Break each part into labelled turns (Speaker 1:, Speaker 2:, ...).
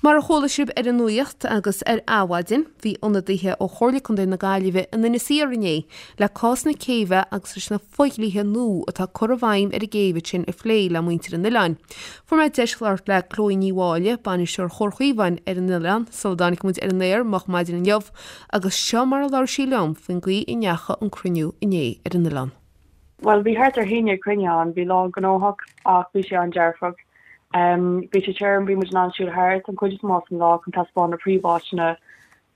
Speaker 1: Mar a chuala sibh ar an nuacht agus ar Adhmhaidin, bhí ionadaithe ó Chomhairle Contae na Gaillimhe in Inis Oírr inné le cás na céibhe agus leis na fodhlíthe nua atá curtha i bhfeidhm ar an gcéibh ansin a phlé le muintir an oileáin. Fuair mé deis labhairt le Chloe Ní Mháille, bainisteoir Chomhar Chaomháin ar an oileán, sula dtáinig muid ar an aer moch maidin inniu agus seo mar a labhair sí liom faoin gcaoi a ndeachaigh an cruinniú inné ar an oileán.
Speaker 2: Bhuel, bhí thart ar 11 cruinniú ann, bhí lá gnóthach ach bhí sé an-dearfach. Bhí sé tirim, bhí muid in ann siúl thart an chuid is mó den lá chun taispeáint na príomháiteanna.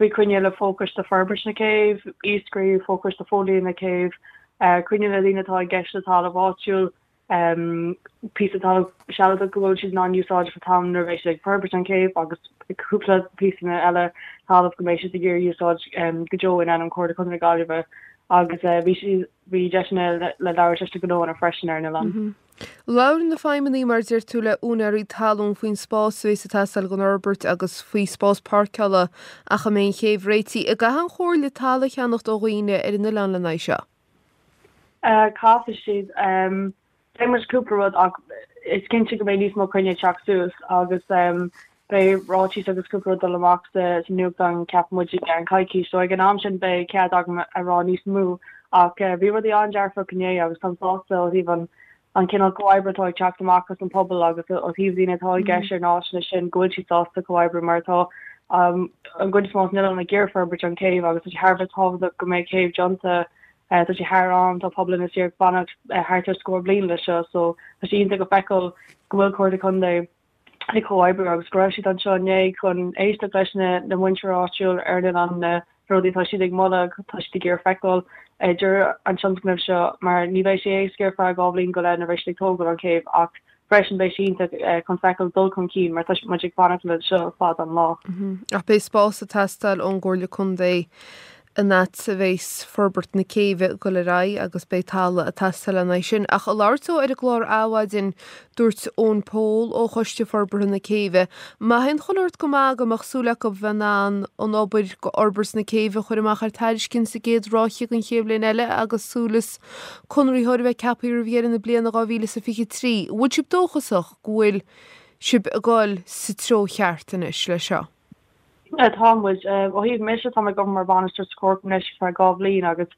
Speaker 2: Bhí cruinniú le Fochoiste Forbairt na Céibhe, Iascairí, Fochoiste Fodhlíthe na Céibhe, cruinniú le daoine atá i gceist le talamh áitiúil, píosa talamh sealadach go bhfuil siad in ann úsáid an t-am nuair a bheidh siad ag forbairt an chéibh agus cúpla píosa eile talamh go mbeidh siad ag iarraidh úsáid go deo in ainm Chomhairle Contae na Gaillimhe agus bhí siad bhí deiseanna le labhairt leis na gnóanna freisin ar an oileán.
Speaker 1: Labhair na feidhmeannaigh mar a deir tú le úinéirí talún faoin spás a bhéas ag teastáil don fhorbairt agus faoi spás páirceála ach a mbeidh an chéibh réitithe. An gcaithfidh an Chomhairle talamh a cheannacht ó dhaoine ar an oileán lena aghaidh seo?
Speaker 2: Caithfidh siad. Beidh muid cúpla rud ach is cinnte go mbeidh níos mó cruinnithe ag teacht suas agus beidh ráitis agus cúpla rud dul amach sa nuachtán ceapann muid i gceann coicís. So ag an am sin beidh cead agam a rá níos mó ach bhí rudaí an-dearfach inné agus táim sásta ó thaobh an an cineál comhoibre atá ag teacht amach as an pobal agus ó thaobh daoine atá i gceist ar na háiteanna sin go bhfuil siad sásta comhoibriú mar tá an gcuid is mó den oileán ag iarraidh forbairt an céibh agus tá sé thar a bheith tábhachtach go mbeidh céibh déanta. Tá sé thar am, tá pobal Inis Oírr ag fanacht thart ar scór bliain leis seo so tá sé iontach a feiceáil go bhfuil Comhairle Contae ag comhoibriú agus go raibh siad anseo inné chun éisteacht leis na muintir áitiúil ar an oileán na rudaí atá siad ag moladh, tá siad ag iarraidh feiceáil ag deireadh an tionscnaimh seo mar ní bheidh sé éasca ar feadh 2 bhliain go leith nuair a bheidh siad ag tógáil an chéibh ach freisin beidh sé iontach chun feiceáil dul chun cinn mar tá muid ag fanacht le seo fada an lá.
Speaker 1: Ach beidh spás ag teastáil ón gComhairle Contae an fhad a bheas forbairt na céibhe ag dul ar aghaidh agus beidh talamh ag teastáil lena aghaidh sin. Ach ag labhairt dó ar an gclár Adhmhaidin, dúirt Eoin Pól ó Choiste Forbartha na Céibhe, má théann chuile shórt go maith go mbeadh súil acu bheith in ann an obair go fhorbairt na céibhe a chur amach ar tairiscint sa gcéad ráithe den chéad bhliain eile agus súil is conraitheoir a bheith ceaptha roimh dheireadh na bliana 2023. An bhfuil sibh dóchasach go bhfuil sibh ag dul sa treo cheart anois leis seo?
Speaker 2: Tá muid. Ó thaobh mise, tá mé ag obair mar bhainisteoir sa chomharchumann anois ar feadh 2 bhliain agus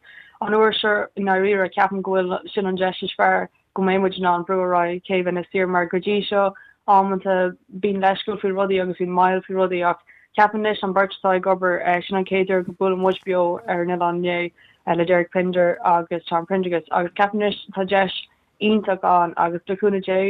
Speaker 2: an uair seo i ndáiríre ceapaim go bhfuil sin an deis is fearr go mbeidh muid in ann brú ar aghaidh céibh Inis Oírr mar go dtí seo amanta bíonn leithscéal faoi rudaí agus bíonn moill faoi rudaí ach ceapaim anois an bheirt atá ag obair sin an chéad uair go buaileann muid beo ar an oileán inné le Derek Pinder agus Tom Prendergast agus ceapaim anois tá deis iontach ann agus le cúnamh Dé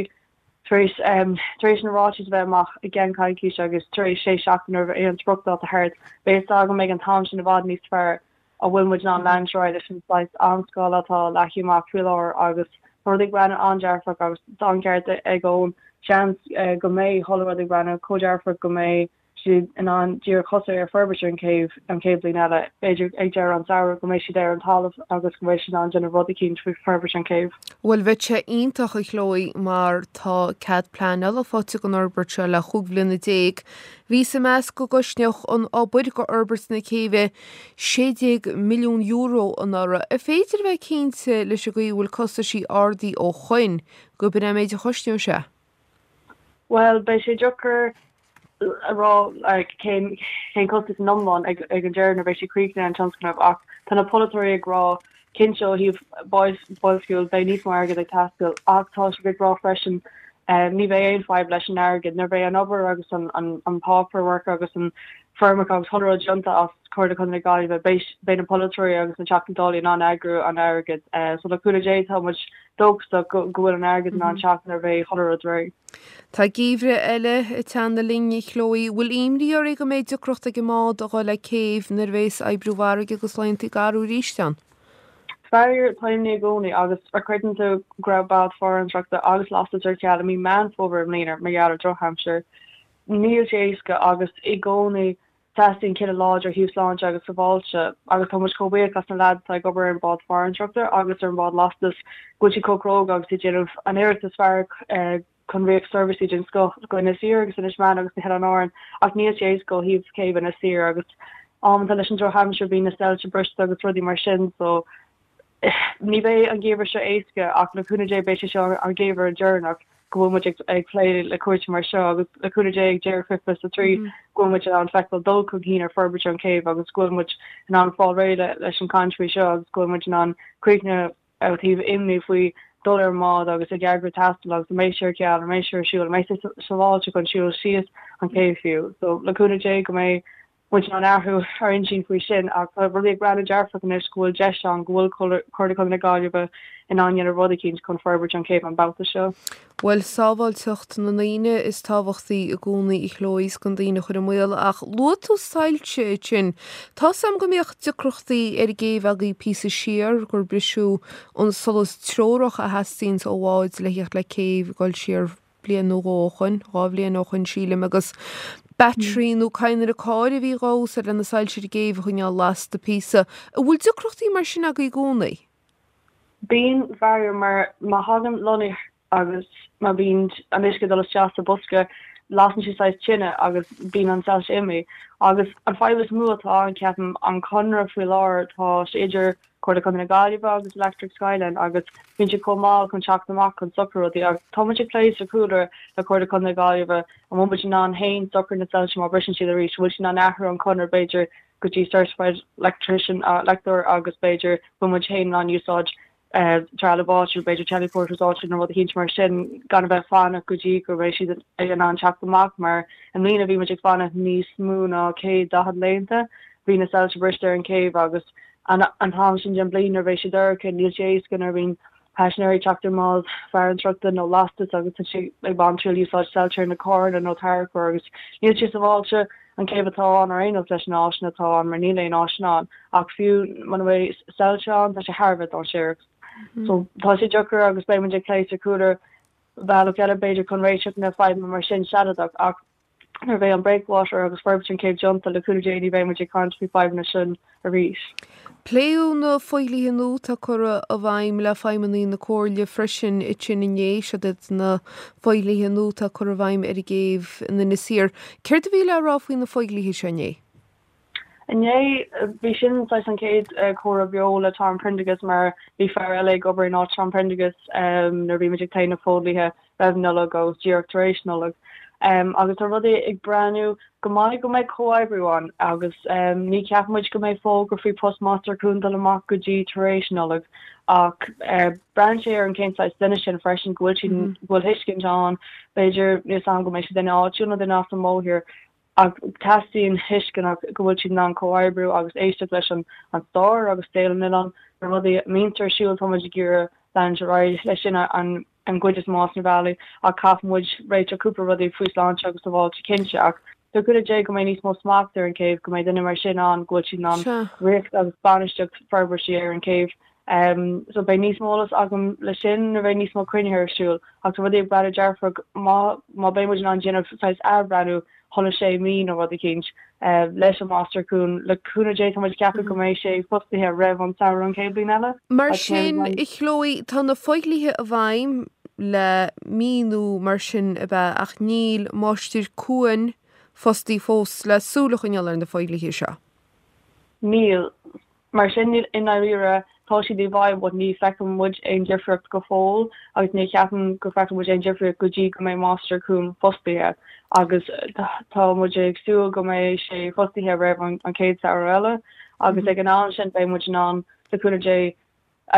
Speaker 2: Tar éis tar éis na ráitis a bheith amach i gceann coicíse agus tar éis sé seachtaine roimh aon spriocdháta thart, beidh fhios agam ag an t-am sin i bhfad níos fearr an bhfuil muid in ann leanúint ar aghaidh leis an saghas amscála atá leagtha amach faoi láthair agus tá rudaí ag breathnú an-dearfach agus tá an ceart ag Eoin, seans go mbeidh chuile rud ag breathnú chomh dearfach go mbeidh siad in ann díreach tosú ar forbairt ar an chéibh an chéad bhliain eile, b'fhéidir ag deireadh an samhradh, go mbeidh siad ar an talamh agus go mbeidh siad in ann déanamh rud eicínt faoi forbairt an chéibh.
Speaker 1: Bhuel, bheadh sé iontach, a Chloe, mar tá cead pleanála faighte don fhorbairt seo le chúig bhliana déag. Bhíothas ag meas go gcosnódh an obair go fhorbairt na céibhe €16 milliún anuraidh. An féidir a bheith cinnte leis an gcaoi a bhfuil costaisí ardaithe ó shoin gurb in é an méid a chosnóidh sé?
Speaker 2: Bhuel, beidh sé deacair a rá like cén cén costas in iomlán ag ag an deireadh nuair a bheidh sé críochnaithe an tionscnamh ach tá na polaiteoirí ag rá cinnte ó thaobh boilsciú beidh níos mó airgid ag teastáil ach tá siad ag rá freisin ní bheidh aon fadhb leis an airgead nuair a bheidh an obair agus an an an paperwork agus an foirmeacha agus chuile rud déanta as Comhairle Contae na Gaillimhe beidh beidh na polaiteoirí agus na Teachtaí Dála in ann eagrú an airgid so le cúnamh Dé tá muid dóchasach go bhfuil an airgead in ann teacht nuair a bheidh chuile rud réidh.
Speaker 1: Tá geimhreadh eile ag teannadh linn, a Chloe. Bhfuil imní oraibh go mbeidh deacracht ag an mbád a dhul le céibh nuair a bheas oibriú i bhfarraige agus laethanta garbha arís ann?
Speaker 2: Faraor, tá imní i gcónaí agus an gcreideann tú go raibh bád farantóireachta agus lastais ar ceal i mí Meán Fómhair i mbliana mar gheall ar drochaimsir. Níl sé éasca agus i gcónaí Teastaíonn cinneadh láidir ó thaobh sláinte agus sábháilte agus tá muid chomh buíoch as na leaids atá ag obair ar an bád farantóireachta agus ar an bád lastais go bhfuil siad chomh cróga agus iad ag déanamh an iarracht is fearr chun riocht seirbhísí den scoth go Inis Oírr agus Inis Meáin agus na hOileáin Árann ach níl sé éasca ó thaobh céibh Inis Oírr agus amanta leis an drochaimsir bíonn na soilse briste agus rudaí mar sin so ní bheidh an geimhreadh seo éasca ach le cúnamh Dé beidh sé seo an geimhreadh deireanach. go bhfuil muid ag plé le cúrsaí mar seo agus le cúnamh Dé ag deireadh 2023 go bhfuil muid in ann feiceáil dul chun cinn ar forbairt an chéibh agus go bhfuil muid in ann fáil réidh leis an chaint faoi seo agus go bhfuil muid in ann críochnú ó thaobh imní faoi dul ar an mbád agus ag eagrú taistil agus an mbeidh sé ar ceal, an mbeidh sé ar siúl, an mbeidh sé sábháilte chun siúl síos an chéibh fiú. So le cúnamh Dé go mbeidh muid in ann athrú ár intinn faoi sin ach tá rudaí ag breathnú dearfach anois go bhfuil deis ann go bhfuil Comhairle Contae na Gaillimhe in ann dhéanamh rud eicínt chun forbairt an chéibh an babhta seo.
Speaker 1: Bhuel, sábháilteacht na ndaoine is tábhachtaí i gcónaí a Chloe is gan daoine a chur i mbaol ach luaigh tú soilse ansin. Tá's a'm go mbíodh deacrachtaí ar an gcéibh agaibh píosa siar, gur briseadh an solas treorach a theastaíonns ó bháid le theacht le céibh ag dul siar bliain nó dhó ó shoin, dhá bhliain ó shoin sílim, agus battery nó cadhnra cairr a bhí dhá úsáid le na soilse ar an gcéibh a choinneáil lasta píosa. An bhfuil deacrachtaí mar sin agaibh i gcónaí?
Speaker 2: Bíonn, faraor, mar má thagann lonnadh agus má bhíonn an uisce ag dul isteach sa bosca lasann sé saghas tine agus bíonn an soilse imithe. Agus an fadhb is mó atá ann, ceapaim, an conradh faoi láthair, tá sé idir Comhairle Contae na Gaillimhe agus Electric Skyline agus bíonn siad chomh mall chun teacht amach chun socrú rudaí agus tá muid ag plé sa chúlra le Comhairle Contae na Gaillimhe an bhfuil muid in ann féin socrú na soilse má briseann siad arís, an bhfuil siad in ann athrú an conradh b'fhéidir go dtí certified electrician, leictreoir agus b'fhéidir bhfuil muid féin in ann úsáid trealamh áitiúil, b'fhéidir teleporters áitiúil nó rud eicínt mar sin gan a bheith ag fanacht go dtí go mbeidh siad in ann teacht amach mar i mbliana bhí muid ag fanacht níos mó ná 140 laethanta bhí na soilse briste ar an chéibh agus An t-am sin den bhliain nuair a bheidh sé dorcha, níl sé éasca nuair a bhíonn paisinéirí ag teacht ar an mbád farantóireachta nó lastas agus tá siad ag baint triail úsáid soilse ar na carranna nó tarracóir agus níl sé sábháilte an chéibh atá ann ar aon nós leis na áiseanna atá ann mar níl aon áiseanna ann ach fiú muna bhfuil soilse ann tá sé thar a bheith dainséarach. So tá sé deacair agus beidh muid ag plé sa chúlra bealach eile b'fhéidir chun réiteach na fadhbanna mar sin sealadach ach Nuair a bheidh an breakwater agus forbairt an chéibh déanta, le cúnamh Dé ní bheidh muid ag caint faoi fadhbanna sin arís.
Speaker 1: Pléadh na fodhlíthe nua atá curtha i bhfeidhm le feidhmeannaigh na Comhairle freisin ansin inné. Siod iad na fodhlíthe nua atá curtha i bhfeidhm ar an gcéibh in Inis Oírr. Céard a bhí le rá faoi na fodhlíthe seo inné?
Speaker 2: Inné, bhí sin saghas an chéad chomhrá beo le Tom Prendergast mar bhí fear eile ag obair in áit Tom Prendergast nuair a bhí muid ag plé na fodhlíthe roimh Nollaig agus díreach tar éis Nollag. Agus tá rudaí ag breathnú go maith go mbeidh comhoibriú ann agus ní cheapann muid go mbeidh fógra faoi post Máistir Cuain dul amach go dtí tar éis Nollag ach braitheann sé ar an cén saghas duine sin freisin go bhfuil siad go bhfuil thuiscint ann b'fhéidir níl 's a'm go mbeidh sé duine áitiúil nó duine as an mórthír Ach teastaíonn tuisceanach go bhfuil siad in ann comhoibriú agus éisteacht leis an stair agus saol an oileáin, na rudaí a mbíonn ar siúl, tá muid ag iarraidh leanúint ar aghaidh leis sin an gcuid is mó as na bealaí ach caithfidh muid réiteach cúpla rudaí faoi sláinte agus sábháilte cinnte ach le cúnamh Dé go mbeidh níos mó smacht ar an chéibh, go mbeidh duine mar sin ann go bhfuil siad in ann rith agus bainistíocht forbairtí ar an chéibh. So beidh níos mó eolas agam le sin nuair a bheidh níos mó cruinnithe ar siúl ach tá rudaí ag breathnú dearfach má má beidh muid in ann déanamh saghas athbhreathnú chuile sé mí nó rud eicínt leis an Máistir Cuain. Le cúnamh Dé tá muid ag ceapadh go mbeidh sé fostaithe roimh an samhradh an chéad bhliain eile.
Speaker 1: Mar sin, a Chloe, tá na fodhlíthe i bhfeidhm le mí nó mar sin ab ea ach níl Máistir Cuain fostaithe fós le súil a choinneáil ar na fodhlíthe seo.
Speaker 2: Níl. Mar sin, i ndáiríre, tá siad i bhfeidhm but ní feiceann muid aon difríocht go fóill agus ní cheapaim go bhfeicfidh muid aon difríocht go dtí go mbeidh Máistir Cuain fostaithe agus tá muid ag súil go mbeidh sé fostaithe roimh an chéad samhradh eile agus ag an am sin beidh muid in ann, le cúnamh Dé,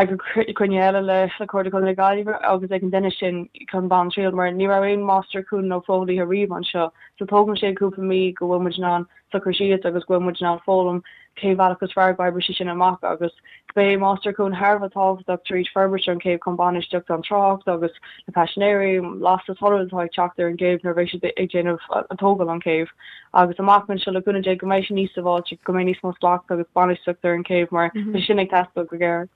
Speaker 2: eagrú cruinniú eile le Comhairle Contae na Gaillimhe agus ag an duine sin chun baint triail mar ní raibh aon Máistir Cuain nó fodhlíthe riamh anseo so tógann sé cúpla mí go bhfuil muid in ann socrú síos agus go bhfuil muid in ann foghlaim cén bhealach is fearr go oibreoidh sé sin amach agus beidh Máistir Cuain thar a bheith tábhachtach tríd forbairt an chéibh chun bainistíocht an trácht agus na paisinéirí, lastas chuile rud atá ag teacht ar an gcéibh nuair a bheidh siad ag déanamh an tógáil an chéibh agus amach anseo le cúnamh Dé go mbeidh sé níos sábháilte, go mbeidh níos mó smacht agus bainistíocht ar an chéibh mar tá sé sin ag teastáil go géar.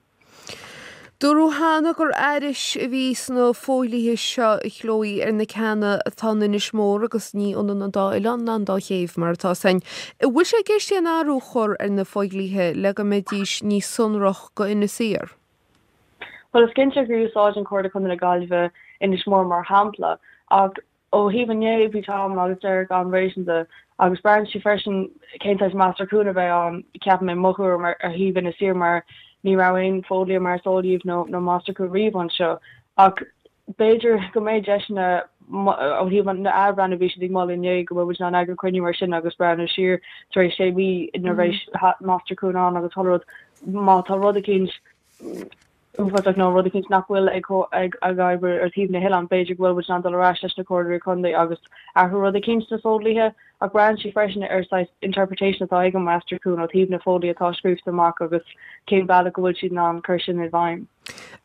Speaker 1: Dúradh cheana gur aithris a bhí sna fodhlíthe seo, a Chloe, ar na ceanna atá in Inis Mór agus ní ionann an dá oileán ná an dá chéibh mar atá 's againn. An bhfuil sé i gceist aon athrú a chur ar na fodhlíthe le go mbeidís níos sonrach go Inis Oírr?
Speaker 2: Bhuel, is cinnte gur úsáideann Comhairle Contae na Gaillimhe Inis Mór mar shampla ach Ó thaobh inné, bhí Tom agus Derek an-réasúnta agus braitheann sé freisin cén saghas Máistir Cuain a bheidh ann, ceapaim, i mo thuairim ar thaobh Inis Oírr mar ní raibh aon fodhlíthe mar is eol daoibh nó nó Máistir Cuain riamh anseo. Ach. B'fhéidir go mbeidh deiseanna ó thaobh an athbhreithniú a bhí siad ag moladh inné go bhfuil muid in ann eagrú cruinniú mar sin agus breathnú siar tar éis sé mhí ina raibh Máistir-Chuan ann agus chuile rud. Má tá rud eicínt uafásach nó rud eicínt nach bhfuil ag ag oibriú ar thaobh na hoileán, b'fhéidir go bhfuil muid in ann dul ar ais leis na comhairleoirí contae agus athrú rud eicínt sna fodhlíthe. Ach braitheann sé freisin ar saghas interpretation atá ag an Máistir-Chuan ó thaobh na fodhlíthe atá scríofa amach agus cén bealach go bhfuil siad in ann cur sin i bhfeidhm.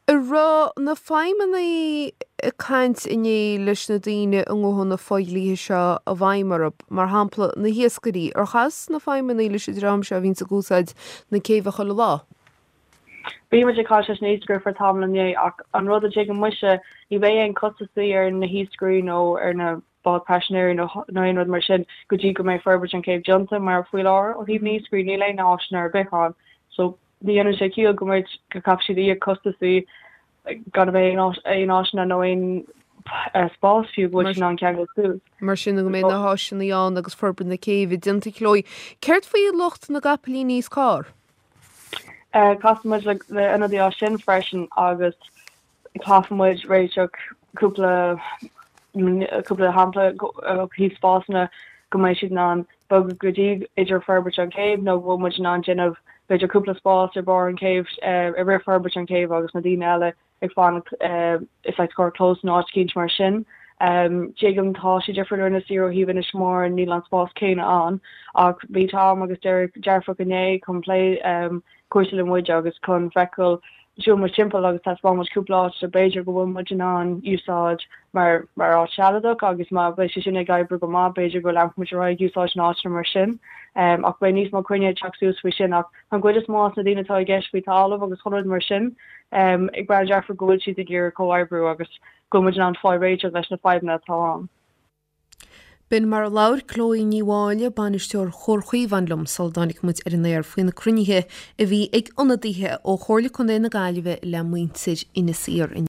Speaker 1: An raibh na feidhmeannaigh ag caint inné leis na daoine a ngabhfaidh na fodhlíthe seo i bhfeidhm orthu, mar shampla na hiascairí? Ar chas na feidhmeannaigh leis an dream seo a bhíonns ag úsáid na céibhe chuile lá?
Speaker 2: Bhí muid ag caint leis na hiascairí for tamall inné ach an rud a dtuigim mise, ní bheidh aon costasaí ar na hiascairí nó ar na báid paisinéirí nó aon rud mar sin go dtí go mbeidh forbairt an chéibh déanta mar faoi láthair ó thaobh na hiascairí níl aon áiseanna ar bith ann so Ní dhéanann sé ciall go mbeidh, go gcaithfidh siad íoc costasaí gan a bheith aon áiseanna nó aon spás fiú go bhfuil siad in ann ceangal
Speaker 1: suas. Mar sin go mbeidh na háiseanna ann agus forbairt na céibhe déanta Chloe. Céard faoi lucht na gcapaillíní is carr?
Speaker 2: Casfaidh muid le ionadaí as sin freisin agus Caithfidh muid réiteach cúpla cúpla shampla ó thaobh spásanna go mbeidh siad in ann bogadh go dtí idir forbairt an chéibh nó go bhfuil muid in ann déanamh b'fhéidir cúpla spás ar barr an chéibh i rith forbairt an chéibh agus na daoine eile ag fanacht i saghas carrchlós nó áit eicínt mar sin. Tuigim tá sé difriúil ar Inis Oírr ó thaobh Inis Mór níl an spás céanna ann ach bhí Tom agus Derek dearfach inné chun plé cúrsaí le muid agus chun feiceáil Shiúil muid timpeall agus thaispeáin muid cúpla áit so b'fhéidir go bhfuil muid in ann úsáid mar mar áit sealadach agus má bheidh sé sin ag oibriú go maith b'fhéidir go leanfaidh muid ar aghaidh ag úsáid na áiteanna mar sin. Ach beidh níos mó cruinnithe ag teacht suas faoi sin ach an gcuid is mó as na daoine atá i gceist faoi talamh agus chuile rud mar sin ag breathnú dearfach go bhfuil siad ag iarraidh comhoibriú agus go bhfuil muid in ann fáil réiteach leis na fadhbanna atá ann.
Speaker 1: B'in mar a labhair Chloe Ní Mháille, Bainisteoir Chomhar Chaomháin liom sula dtáinig muid ar an aer faoi na cruinnithe a bhí ag ionadaithe ó Chomhairle Contae na Gaillimhe le muintir Inis Oírr inné.